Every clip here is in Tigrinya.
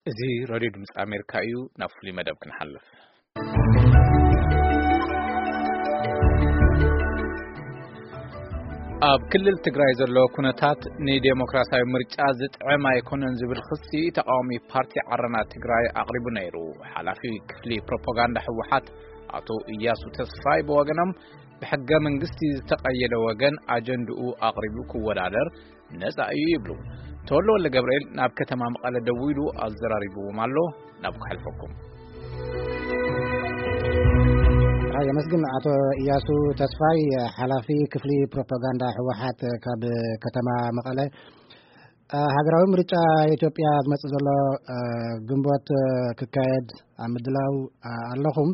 እዚ ሬድዮ ድምፂ ኣሜሪካ እዩ። ናብ ፍሉይ መደብ ክንሓልፍ። ኣብ ክልል ትግራይ ዘሎ ኩነታት ንዴሞክራሲያዊ ምርጫ ዝጥዕም ኣይኮነን ዝብል ክሲ ተቃዋሚ ፓርቲ ዓረና ትግራይ ኣቕሪቡ ነይሩ። ሓላፊ ክፍሊ ፕሮፓጋንዳ ህወሓት ኣቶ እያሱ ተስፋይ ብወገኖም፣ ብሕገ መንግስቲ ዝተቐየደ ወገን ኣጀንድኡ ኣቕሪቡ ክወዳደር ነጻ እዩ ይብሉ። ተወልደ ወልደ ገብርኤል ናብ ከተማ መቐለ ደዊሉ ኣዘራሪብዎም ኣሎ። ናብ ክሕልፈኩም። ኣይ፣ የመስግን። ኣቶ እያሱ ተስፋይ፣ ሓላፊ ክፍሊ ፕሮፓጋንዳ ህወሓት ካብ ከተማ መቐለ። እ፣ ሃገራዊ ምርጫ ኢትዮጵያ ዝመጽእ ዘሎ፣ እ፣ ግንቦት፣ እ፣ ክካየድ ኣብ ምድላው፣ እ፣ ኣለኹም።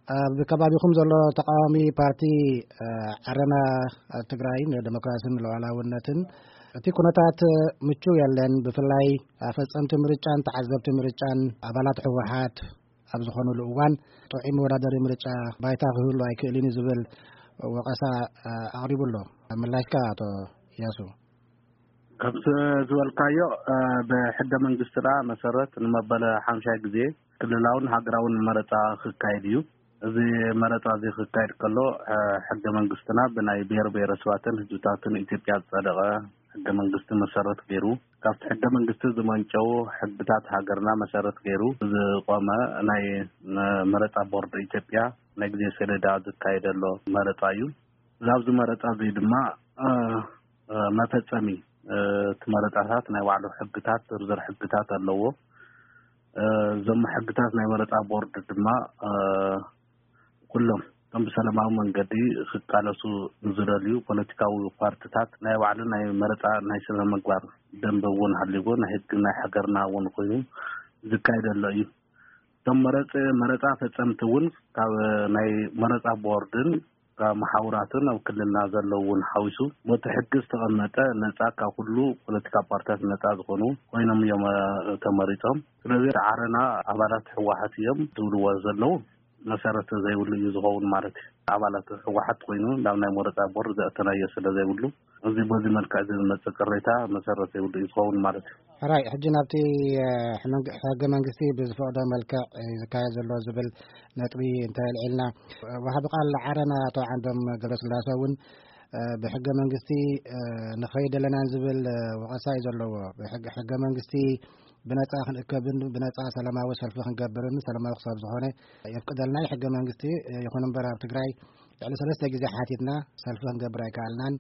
እ፣ ብከባቢኹም ዘሎ ተቃዋሚ ፓርቲ፣ እ፣ ዓረና ትግራይ ንደሞክራስን ሉዓላውነትን፣ እቲ ኩነታት ምቹው የለን። ብፍላይ ኣፈጸምቲ ምርጫን ተዓዘብቲ ምርጫን ኣባላት ህወሓት ኣብ ዝኾኑሉ እዋን ጥዑይ መወዳደሪ ምርጫ ባይታ ክህሉ ኣይክእልን እዩ ዝብል ወቐሳ፣ እ፣ ኣቕሪቡ ኣሎ። ምላሽካ ኣቶ እያሱ? ከምቲ ዝበልካዮ፣ እ፣ ብሕገ መንግስትና መሰረት ንመበለ ሓምሻይ ግዜ ክልላውን ሃገራውን መረፃ ክካየድ እዩ። እዚ መረፃ እዚ ክካየድ ከሎ፣ እ፣ ሕገ መንግስትና ብናይ ብሔር ብሔረሰባትን ህዝብታትን ኢትዮጵያ ዝፀደቐ ሕገ መንግስቲ መሰረት ገይሩ፣ ካብቲ ሕገ መንግስቲ ዝመንጨው ሕግታት ሃገርና መሰረት ገይሩ ዝቆመ ናይ፣ እ፣ መረፃ ቦርድ ኢትዮጵያ ናይ ግዜ ሰሌዳ ዝካየደሎ መረፃ እዩ። ኣብዚ መረፃ እዚ ድማ፣ እ፣ እ፣ መፈጸሚ፣ እ፣ እቲ መረጻታት ናይ ባዕሉ ሕግታት፣ ዝርዝር ሕግታት ኣለዎ። እ፣ እዞም ሕግታት ናይ መረጻ ቦርድ ድማ፣ እ፣ ኩሎም እቶም ብሰላማዊ መንገዲ ክቃለሱ ንዝደልዩ ፖለቲካዊ ፓርቲታት ናይ ባዕሉ ናይ መረጻ ናይ ስነ ምግባር ደንበ እውን ሃልይዎ፣ ናይ ህጊ ናይ ሃገርና እውን ኮይኑ ዝካየደሎ እዩ። እቶም መረጽ-፣ መረጻ ፈጸምቲ እውን ካብ ናይ መረጻ ቦርድን ካብ መሓውራትን ኣብ ክልልና ዘለዉ እውን ሓዊሱ፣ በቲ ሕጊ ዝተቐመጠ ነጻ፣ ካብ ኩሉ ፖለቲካ ፓርቲታት ነጻ ዝኾኑ ኮይኖም እዮም፣ እ፣ ተመሪጾም። ስለዚ ዓረና ኣባላት ህወሓት እዮም ዝብልዎ ዘለዉ መሰረት ዘይብሉ እዩ ዝኸውን ማለት እዩ። ኣባላት ህወሓት ኮይኑ ናብ ናይ መረጻ ቦርድ ዘእተናዮ ስለ ዘይብሉ፣ እዚ በዚ መልክዕ እዚ ዝመጽእ ቅሬታ መሰረት ዘይብሉ እዩ ዝኸውን ማለት እዩ። ሕራይ፣ ሕጂ ናብቲ፣ እ፣ ሕመንግ-፣ ሕገ መንግስቲ ብዝፈቕዶ መልክዕ፣ እ፣ ዝካየድ ዘሎ ዝብል ነጥቢ እንተ ኣልዒልና፣ እ፣ ወሃቢ ቃል ዓረና ኣቶ ዓንዶም ገብረስላሴ እውን፣ እ፣ ብሕገ መንግስቲ፣ እ፣ ንኸይድ ኣለናን ዝብል፣ እ፣ ወቐሳ እዩ ዘለዎ። ብሕገ፣ ሕገ መንግስቲ ብነጻ ክንእከብን ብነጻ ሰላማዊ ሰልፊ ክንገብርን ሰላማዊ ክሳብ ዝኾነ የፍቅደልና እዩ ሕገ መንግስቲ። እ፣ ይኹን እምበር ኣብ ትግራይ ልዕሊ ሰለስተ ግዜ ሓቲትና ሰልፊ ክንገብር ኣይከኣልናን፣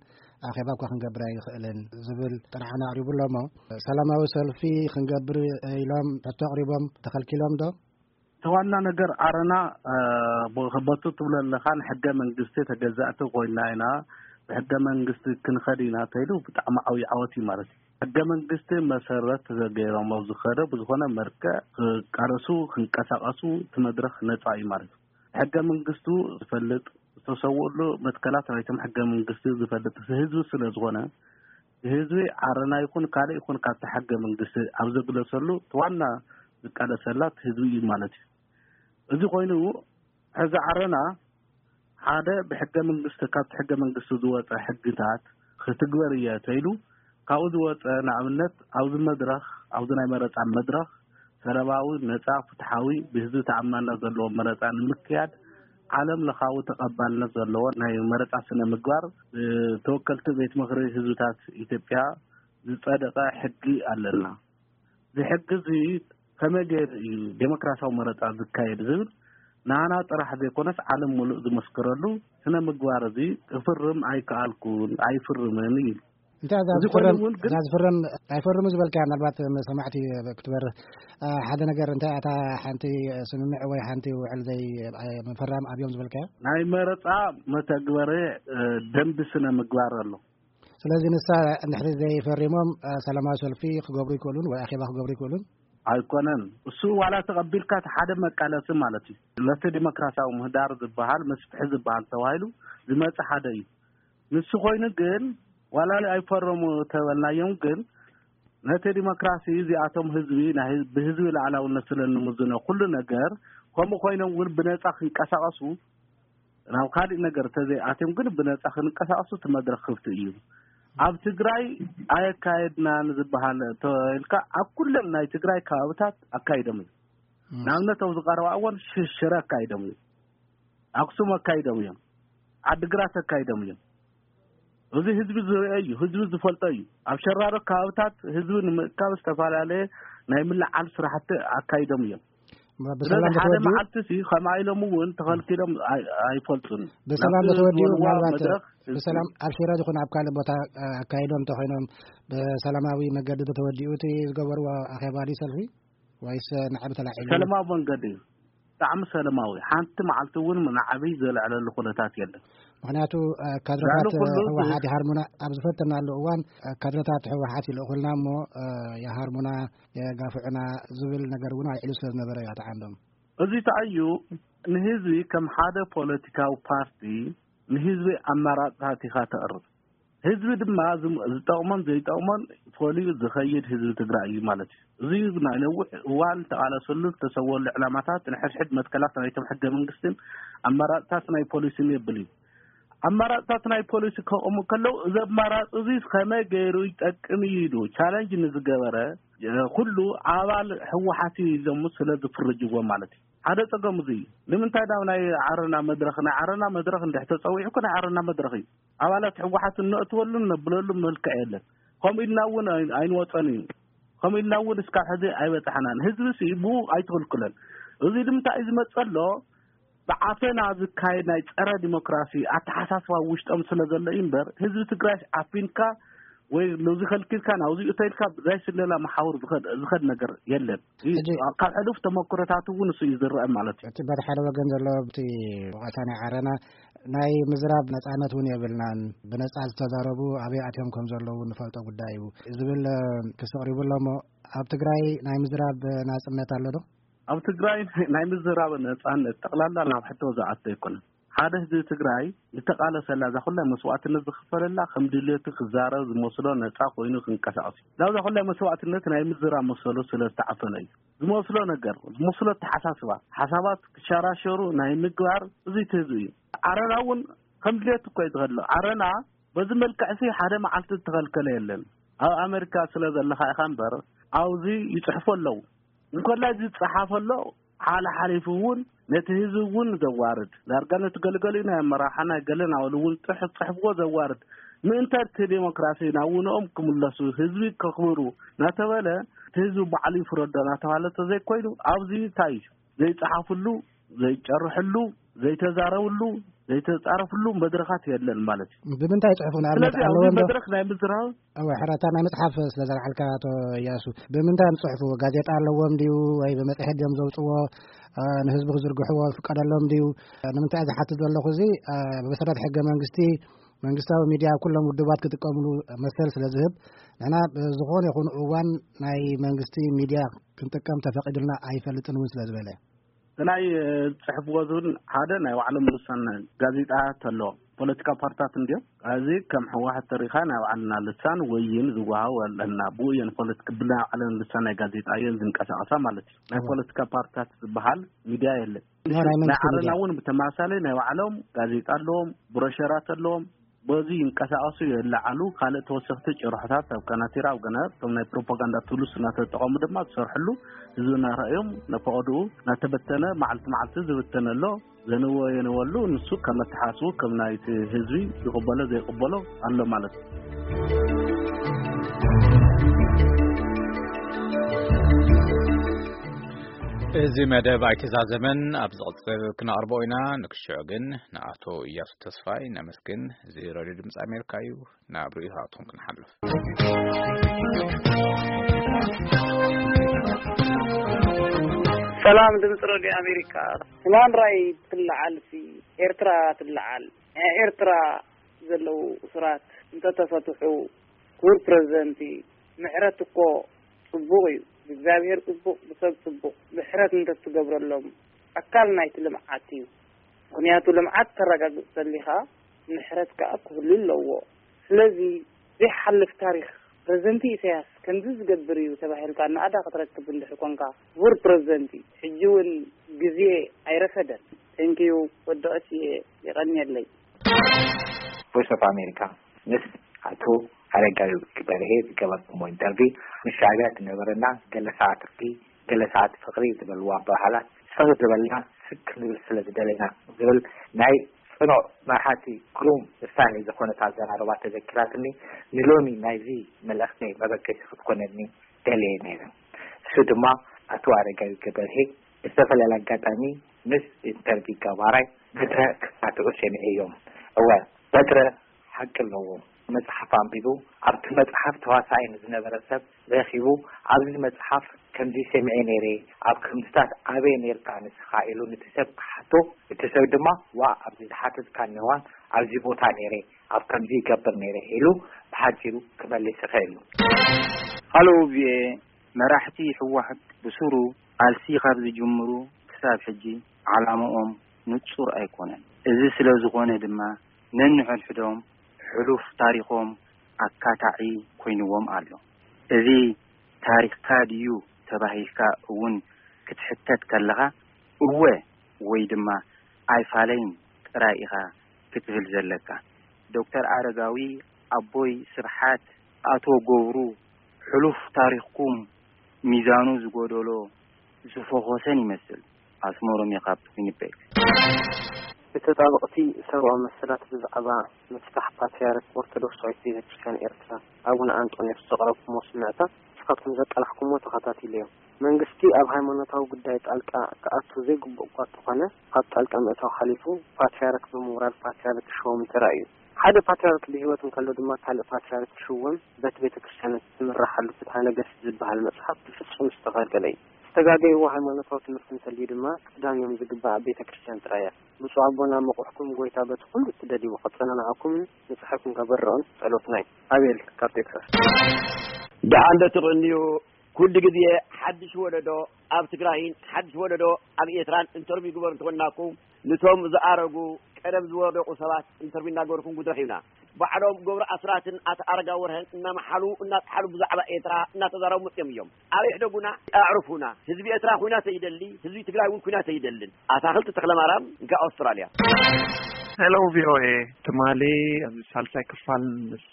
ኣኼባ እኳ ክንገብር ኣይንኽእልን ዝብል ጥርዓን ኣቕሪቡ ኣሎ። እሞ ሰላማዊ ሰልፊ ክንገብር ኢሎም ሕቶ ኣቕሪቦም ተኸልኪሎም ዶ? እቲ ዋና ነገር ዓረና፣ እ፣ ብ-፣ በቱ ትብሎ ኣለኻን ሕገ መንግስቲ ተገዛእቲ ኮይና ኢና፣ ብሕገ መንግስቲ ክንኸድ ኢና ተይሉ ብጣዕሚ ዓብዪ ዓወት እዩ ማለት እዩ። ሕገ መንግስቲ መሰረት ገይሮም ኣብ ዝኸደ ብዝኾነ መልክዕ ክቃለሱ፣ ክንቀሳቐሱ እቲ መድረኽ ነፃ እዩ ማለት እዩ። ሕገ መንግስቱ ዝፈልጥ፣ ዝተሰውእሉ መትከላት ናይቶም ሕገ መንግስቲ ዝፈልጥ ህዝቢ ስለ ዝኾነ፣ ህዝቢ ዓረና ይኹን ካልእ ይኹን ካብቲ ሕገ መንግስቲ ኣብ ዘግለሰሉ እቲ ዋና ዝቃለሰላ እቲ ህዝቢ እዩ ማለት እዩ። እዚ ኮይኑ፣ ሕዚ ዓረና ሓደ ብሕገ መንግስቲ፣ ካብቲ ሕገ መንግስቲ ዝወፀ ሕግታት ክትግበር እየ ተይሉ፣ ካብኡ ዝወፀ፣ ንኣብነት፣ ኣብዚ መድረኽ፣ ኣብዚ ናይ መረፃ መድረኽ ሰላማዊ፣ ነፃ፣ ፍትሓዊ፣ ብህዝቢ ተኣማንነት ዘለዎ መረፃ ንምክያድ ዓለም ለኻዊ ተቐባልነት ዘለዎ ናይ መረፃ ስነ ምግባር ብተወከልቲ ቤት ምኽሪ ህዝብታት ኢትዮጵያ ዝፀደቐ ሕጊ ኣለና። እዚ ሕጊ እዚ ከመይ ገይሩ እዩ ዴሞክራሲያዊ መረፃ ዝካየድ ዝብል ንዓና ጥራሕ ዘይኮነስ ዓለም ሙሉእ ዝመስክረሉ ስነ ምግባር እዚ ክፍርም ኣይከኣልኩን፣ ኣይፍርምን እዩ። እንታይ እዛ እዚ ኮይኑ ዝፍረም፣ እውን ግን እዛ ዝፍረም ኣይፈርሙ ዝበልካያ፣ ምናልባት ሰማዕቲ ክትበርህ፣ እ፣ ሓደ ነገር እንታይ እታ ሓንቲ ስምምዕ ወይ ሓንቲ ውዕል ዘይ፣ እ፣ ምፍራም ኣብዮም ዝበልካያ? ናይ መረፃ መተግበሪ፣ እ፣ ደንቢ ስነ ምግባር ኣሎ። ስለዚ ንሳ እንድሕሪ ዘይፈሪሞም፣ እ፣ ሰላማዊ ሰልፊ ክገብሩ ይክእሉን ወይ ኣኼባ ክገብሩ ይክእሉን? ኣይኮነን። እሱ ዋላ ተቐቢልካ እቲ ሓደ መቃለሲ ማለት እዩ። ነቲ ዲሞክራሲያዊ ምህዳር ዝበሃል መስፍሒ ዝበሃል ተባሂሉ ዝመጽእ ሓደ እዩ። ንሱ ኮይኑ ግን ዋላ ኣይፈረሙ ተበልናዮም ግን ነቲ ዲሞክራሲ እዚኣቶም ህዝቢ ናይ ህዝቢ፣ ብህዝቢ ላዕላውነት ስለ እንምዝኖ ኩሉ ነገር ከምኡ ኮይኖም እውን ብነጻ ክንቀሳቐሱ ናብ ካልእ ነገር ተዘይኣትዮም ግን ብነጻ ክንቀሳቐሱ እቲ መድረኽ ክፍቲ እዩ። ኣብ ትግራይ ኣየካየድናን ዝበሃል ተባሂልካ ኣብ ኩለን ናይ ትግራይ ከባብታት ኣካይዶም እዩ። ንኣብነት ኣብዚ ቀረባ እዋን ሽሽረ ኣካይዶም እዩ። ኣክሱም ኣካይዶም እዮም። ዓድግራት ኣካይዶም እዮም። እዚ ህዝቢ ዝርአ እዩ፣ ህዝቢ ዝፈልጦ እዩ። ኣብ ሸራሮ ከባብታት ህዝቢ ንምእካብ ዝተፈላለየ ናይ ምልዓል ስራሕቲ ኣካይዶም እዮም። ስለዚ ብሰላም ሓደ ተወዲኡ መዓልቲ ሲ ከምኣ ኢሎም እውን ተኸልኪሎም ኣይ- ኣይፈልጡን። ብሰላም ናብቲ ተወዲኡ ዝበልዋ ምናልባት መድረኽ ብሰላም ኣብ ሽረ ይኹን ኣብ ካልእ ቦታ ኣካይዶም እንተኾይኖም ብሰላማዊ መገዲ ተወዲኡ እቲ ዝገበርዎ ኣኼባ ድዩ ሰልፊ ወይስ ንዓብ ተላዒሉ? ሰላማዊ መንገዲ እዩ። ብጣዕሚ ሰላማዊ። ሓንቲ መዓልቲ እውን ንዓብይ ዘልዕለሉ ኩነታት የለን። ምክንያቱ ካድረታት ህወሓት ይሃርሙና ኣብ ዝፈተናሉ እዋን ካድረታት ህወሓት ይልእኹልና እሞ ይሃርሙና የጋፍዑና ዝብል ነገር እውን ኣልዒሉ ስለ ዝነበረ እዩ ኣተዓንዶም። እዚ ተኣዩ ንህዝቢ ከም ሓደ ፖለቲካዊ ፓርቲ ንህዝቢ ኣማራፅታት ኢኻ ተቕርብ። ህዝቢ ድማ ዝም- ዝጠቕሞን ዘይጠቕሞን ፈልዩ ዝኸይድ ህዝቢ ትግራይ እዩ ማለት እዩ። እዚ ናይ ነዊሕ እዋን ተቓለሰሉ ዝተሰወሉ ዕላማታት ንሕድሕድ መትከላት ናይቶም ሕገ መንግስትን ኣማራፅታት ናይ ፖሊሲን የብል እዩ። ኣማራፅታት ናይ ፖሊሲ ከቕሙ ከለዉ እዚ ኣማራፂ እዚ ከመይ ገይሩ ይጠቅም እዩ ኢሉ ቻለንጅ ንዝገበረ ኩሉ ኣባል ህወሓት እዩ ኢሎም ስለ ዝፍርጅዎ ማለት እዩ። ሓደ ፀገም እዚ እዩ። ንምንታይ ናብ ናይ ዓረና መድረኽ ናይ ዓረና መድረኽ እንድሕ ተፀዊዑ እኮ ናይ ዓረና መድረኽ እዩ። ኣባላት ህወሓት እነእትወሉ እነብለሉ መልክዕ የለን። ከምኡ ኢልና እውን ኣይ- ኣይንወፀን እዩ። ከምኡ ኢልና እውን እስካብ ሕዚ ኣይበፃሕናን። ህዝቢ ሲ ብኡ ኣይትኽልክለን። እዚ ንምንታይ እዩ ዝመፀ ኣሎ? ብዓፈና ዝካየድ ናይ ፀረ ዲሞክራሲ ኣተሓሳስባ ውሽጦም ስለ ዘሎ እዩ እምበር ህዝቢ ትግራይ ዓፊንካ ወይ ነዚ ከልኪልካ ናብዚ እተይልካ ብዛይ ስለላ መሓውር ዝኸድ ዝኸድ ነገር የለን። ሕጂ ካብ ሕሉፍ ተመክሮታት እውን እሱ እዩ ዝረአ ማለት እዩ። እቲ በቲ ሓደ ወገን ዘሎ እቲ ወቐሳ ናይ ዓረና ናይ ምዝራብ ነፃነት እውን የብልናን፣ ብነፃ ዝተዛረቡ ኣበይ ኣትዮም ከም ዘለዉ ንፈልጦ ጉዳይ እዩ ዝብል ክስቕሪቡ ኣሎ እሞ ኣብ ትግራይ ናይ ምዝራብ ናፅነት ኣሎ ዶ? ኣብ ትግራይ ናይ ምዝራብ ነፃነት ጠቕላላ ናብ ሕቶ ዝኣቶ ኣይኮነን። ሓደ ህዝቢ ትግራይ ዝተቓለሰላ እዛ ኩላይ መስዋዕትነት ዝኽፈለላ ከም ድልየቱ ክዛረብ ዝመስሎ ነፃ ኮይኑ ክንቀሳቐስ እዩ። ናብዛ ኩላይ መስዋዕትነት ናይ ምዝራብ መሰሉ ስለ ዝተዓፈነ እዩ። ዝመስሎ ነገር ዝመስሎ ኣተሓሳስባ ሓሳባት ክሸራሸሩ ናይ ምግባር እዚ እቲ ህዝቢ እዩ። ዓረና እውን ከም ድልየቱ እኮ እዩ ዝኸድሎ። ዓረና በዚ መልክዕሲ ሓደ መዓልቲ ዝተኸልከለ የለን። ኣብ ኣሜሪካ ስለ ዘለኻ ኢኻ እምበር ኣብዚ ይፅሕፉ ኣለዉ። እንኮላይ ዝፀሓፈ ኣሎ ሓለ ሓሊፉ እውን ነቲ ህዝቢ እውን ዘዋርድ ዳርጋ ነቲ ገለገሊኡ ናይ ኣመራርሓ ናይ ገለ ናበሉ እውን ፅሑፍ ፅሕፍዎ ዘዋርድ ምእንተ እቲ ዴሞክራሲ ናብ ውንኦም ክምለሱ ህዝቢ ከኽብሩ እናተበለ እቲ ህዝቢ ባዕሉ ይፍረዶ እናተባሃለ ተዘይኮይኑ ኣብዚ እንታይ እዩ ዘይፀሓፍሉ ዘይጨርሕሉ ዘይተዛረብሉ ዘይተፃረፍሉ መድረኻት የለን ማለት እዩ። ብምንታይ ፅሑፉ ንኣብነት ስለዚ ኣብዚ ኣለዎም ዶ? መድረኽ ናይ ምዝራብ እወ ሕራታ ናይ መፅሓፍ ስለ ዘልዓልካ ኣቶ እያሱ ብምንታይ እዮም ፅሑፉ? ጋዜጣ ኣለዎም ድዩ ወይ ብመፅሄት ድዮም ዘውፅዎ? ንህዝቢ ክዝርግሕዎ ፍቀደሎም ድዩ? ንምንታይ ዝሓትት ዘለኹ እዚ ብመሰረት ሕገ መንግስቲ መንግስታዊ ሚድያ ኩሎም ውድባት ክጥቀምሉ መሰል ስለ ዝህብ ንሕና ብዝኾነ ይኹን እዋን ናይ መንግስቲ ሚድያ ክንጥቀም ተፈቂዱልና ኣይፈልጥን እውን ስለ ዝበለ ናይ ፅሕፍዎ ዝብል ሓደ ናይ ባዕሎም ልሳን ጋዜጣ ተሎ ፖለቲካ ፓርታት እንዲዮም እዚ ከም ሕወሓት ተሪኻ ናይ ባዕልና ልሳን ወይን ዝወሃው ኣለና ብኡ እየን ፖለቲካ ብናይ ባዕለን ልሳን ናይ ጋዜጣ እየን ዝንቀሳቐሳ ማለት እዩ ናይ ፖለቲካ ፓርታት ዝበሃል ሚድያ የለን ናይ ዓረና እውን ብተመሳሳሊ ናይ ባዕሎም ጋዜጣ ኣለዎም ብሮሸራት ኣለዎም በዚ ይንቀሳቐሱ የለዓሉ ካልእ ተወሰኽቲ ጭርሖታት ኣብ ካናቲራ ኣብ ገነ እቶም ናይ ፕሮፓጋንዳ ቱሉስ እናተጠቐሙ ድማ ዝሰርሕሉ ህዝቢ እናረኣዮም ነፈቐድኡ እናተበተነ መዓልቲ መዓልቲ ዝብተነ ኣሎ ዘንዎ የንወሉ ንሱ ከም ኣተሓስቡ ከም ናይቲ ህዝቢ ይቕበሎ ዘይቕበሎ ኣሎ ማለት እዩ። እዚ መደብ ኣይተዛዘመን ኣብ ዝቕፅል ክነቕርቦ ኢና ንክሽዑ ግን ንኣቶ እያሱ ተስፋይ ነመስግን እዚ ረድዮ ድምፂ ኣሜሪካ እዩ ናብ ርእይቶታትኩም ክንሓልፍ ሰላም ድምፂ ረድዮ ኣሜሪካ ትማን ራይ ትለዓል ሲ ኤርትራ ትለዓል ናይ ኤርትራ ዘለዉ እሱራት እንተተፈትሑ ክቡር ፕረዚደንቲ ምሕረት እኮ ፅቡቕ እዩ ብእግዚኣብሔር ፅቡቕ ብሰብ ፅቡቕ ምሕረት እንተትገብረሎም ኣካል ናይቲ ልምዓት እዩ ምኽንያቱ ልምዓት ተረጋግፅ ተሊኻ ምሕረት ከዓ ክህሉ ኣለዎ ስለዚ ዘይሓልፍ ታሪኽ ፕረዚደንቲ ኢሳያስ ከምዚ ዝገብር እዩ ተባሂልካ እናኣዳ ክትረክብ እንድሕር ኮንካ ክቡር ፕረዚደንቲ ሕጂ እውን ግዜ ኣይረፈደን thank you ወዲ ቐሲኤ የቐንየለይ Voice of America ምስ ኣቶ ኣረጋዊ በርሄ ዝገበርኩሞ ኢንተርቪ፣ ምስ ሻዕብያ ዝነበረና ገለ ሰዓት እርቂ፣ ገለ ሰዓት ፍቕሪ ዝበልዎ ኣበሃህላት፣ ፍቕሪ ዝበልና ስክ ክንብል ስለ ዝደለና ዝብል ናይ ጽኑዕ መርሓቲ ግሩም ውሳኔ ዝኾነት ኣዘራርባ ተዘኪራትኒ፣ ንሎሚ ናይዚ መልእኽተይ መበገሲ ክትኮነኒ ደልየ ነይረ። እሱ ድማ ኣቶ ኣረጋዊ ገበርሄ ብዝተፈላለየ ኣጋጣሚ ምስ ኢንተርቪ ገባራይ በትረ ክሳትዑ ሰሚዐዮም። እወ፣ በትረ ሓቂ ኣለዎ። መጽሓፍ ኣንቢቡ፣ ኣብቲ መጽሓፍ ተዋሳኣይ ንዝነበረ ሰብ ረኺቡ፣ ኣብዚ መጽሓፍ ከምዚ ሰሚዐ ነይረ፣ ኣብ ከምዚታት ኣበይ ነይርካ ንስኻ ኢሉ ንቲ ሰብ ክሓቶ፣ እቲ ሰብ ድማ ዋ ኣብዚ ዝሓተትካኒ እዋን ኣብዚ ቦታ ነይረ፣ ኣብ ከምዚ ይገብር ነይረ ኢሉ ብሓጺሩ ክመልስ ይኽእል እዩ። ሃሎ ቪኦኤ፣ መራሕቲ ህወሓት ብሱሩ ቃልሲ ካብ ዝጅምሩ ክሳብ ሕጂ ዓላምኦም ንጹር ኣይኮነን። እዚ ስለ ዝኾነ ድማ ነንሕድሕዶም ሕሉፍ ታሪኾም ኣካታዒ ኮይንዎም ኣሎ። እዚ ታሪኽካ ድዩ ተባሂልካ እውን ክትሕተት ከለኻ እወ ወይ ድማ ኣይፋለይን ጥራይ ኢኻ ክትብል ዘለካ። ዶክተር ኣረጋዊ፣ ኣቦይ ስብሓት፣ ኣቶ ገብሩ፣ ሕሉፍ ታሪኽኩም ሚዛኑ ዝጎደሎ ዝፈኾሰን ይመስል። ኣስመሮም እየ ካብ ዊኒፔግ። ብተጣበቕቲ ሰብኣዊ መሰላት ብዛዕባ ምፍታሕ ፓትርያርክ ኦርቶዶክሳዊት ቤተክርስትያን ኤርትራ ኣቡነ ኣንጦንዮስ ዘቕረብኩሞ ስምዕታ ንስኻትኩም ዘቃላሕኩሞ ተኸታቲለዮ። መንግስቲ ኣብ ሃይማኖታዊ ጉዳይ ጣልቃ ክኣቱ ዘይግቡእ እኳ እንተኾነ ካብ ጣልቃ ምእታው ሓሊፉ ፓትርያርክ ብምውራድ ፓትርያርክ ክሽወም ተራእዩ። ሓደ ፓትርያርክ ብህይወት እንከሎ ድማ ካልእ ፓትርያርክ ክሽወም በቲ ቤተክርስትያን እትምረሓሉ ፍትሐ ነገስት ዝበሃል መጽሓፍ ብፍጹም ዝተኸልከለ እዩ። ዝተጋገይዎ ሃይማኖታዊ ትምህርቲ እንተልዩ ድማ ክትዳንዮም ዝግባእ ኣብ ቤተክርስትያን ጥራይ እያ። ብፁዕ ኣቦና መቑሕኩም ጎይታ በቲ ኩሉ እትደልይዎ ከጸናንዓኩምን ንጽሕኩም ከበርዖን ጸሎትና እዩ። ኣቤል ካብ ቴክሳስ። ደሓን ዶ ትቕንዩ? ኩሉ ግዜ ሓድሽ ወለዶ ኣብ ትግራይን ሓድሽ ወለዶ ኣብ ኤርትራን ኢንተርቪው ግበሩ እንተኾንናኩም፣ ንቶም ዝኣረጉ ቀደም ዝወደቁ ሰባት ኢንተርቪው እናገበርኩም ጉድረኽ ኢና። ባዕሎም ገብሩ ኣስራትን ኣቶ ኣረጋ ወርሀን እናመሓሉ እናጠሓሉ ብዛዕባ ኤርትራ እናተዛረቡ መፅዮም እዮም። ኣበይ ሕደጉና፣ ኣዕርፉና። ህዝቢ ኤርትራ ኩናት ኣይደሊ፣ ህዝቢ ትግራይ እውን ኩናት ኣይደልን። ኣታኽልቲ ተክለማርያም፣ እንካ ኣውስትራልያ። ሄሎ ቪኦኤ፣ ትማሊ ኣብዚ ሳልሳይ ክፋል ምስ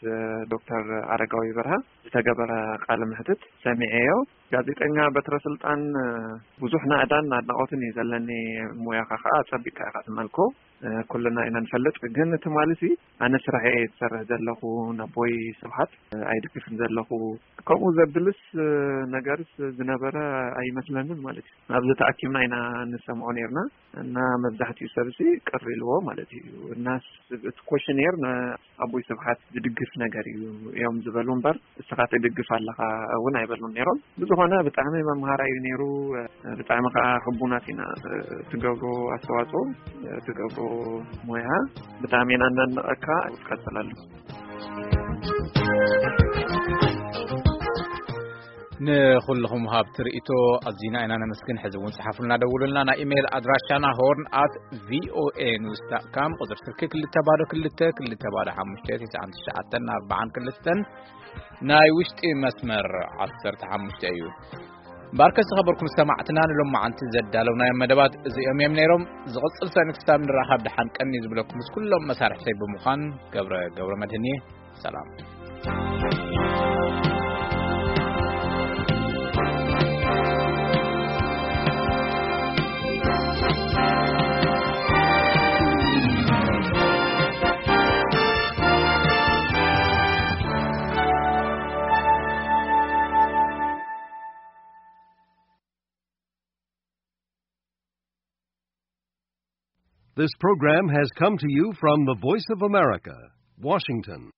ዶክተር ኣረጋዊ በርሀ ዝተገበረ ቃለ መሕትት ሰሚዐዮ። ጋዜጠኛ በትረ ስልጣን፣ ብዙሕ ናእዳን ኣድናቖትን እዩ ዘለኒ። ሙያኻ ከዓ ጸቢቕካ ኢኻ ትመልኮ። ኩልና ኢና ንፈልጥ። ግን ትማሊ ሲ ኣነ ስራሐ እየ ዝሰርሕ ዘለኹ፣ ነቦይ ስብሓት ኣይድግፍን ዘለኹ። ከምኡ ዘብልስ ነገርስ ዝነበረ ኣይመስለንን ማለት እዩ። ኣብዚ ተኣኪብና ኢና ንሰምዖ ነይርና እና መብዛሕትኡ ሰብሲ ቅር ኢልዎ ማለት እዩ። እና እቲ ኮሽኔር ንኣቦይ ስብሓት ዝድግፍ ነገር እዩ እዮም ዝበሉ እምበር፣ እስኻ ትድግፍ ኣለኻ እውን ኣይበሉን ነይሮም። ብዝኾነ ብጣዕሚ መምሃራይ እዩ ነይሩ። ብጣዕሚ ከዓ ሕቡናት ኢና። ትገብሮ ኣስተዋፅኦ፣ ትገብሮ ሞያ ብጣዕሚ ኢና እነድንቐካ። ቀፅለሉ። ንኹልኹም ሃብቲ ርእይቶ ኣዚና ኢና ነመስግን። ሕዚ እውን ጽሓፉልና፣ ደውሉልና። ናይ ኢሜይል ኣድራሻና ሆርን ኣት ቪኦኤ ኒውስ ዳት ካም፣ ቁጽሪ ስልኪ ክልተ ባዶ ክልተ ክልተ ባዶ ሓሙሽተ ትስዓን ትሽዓተን ኣርባዓን ክልተን፣ ናይ ውሽጢ መስመር ዓሰርተ ሓሙሽተ እዩ። ባርከ ዝኸበርኩም ሰማዕትና፣ ንሎማዓንቲ ዘዳለውናዮም መደባት እዚኦም እዮም ነይሮም። ዝቕጽል ሰኒ ክሳብ ንራኸብ ደሓን ቀኒ ዝብለኩም ምስ ኩሎም መሳርሕተይ ብምዃን ገብረ ገብረ መድህን እየ። ሰላም። This program has come to you from the Voice of America, Washington.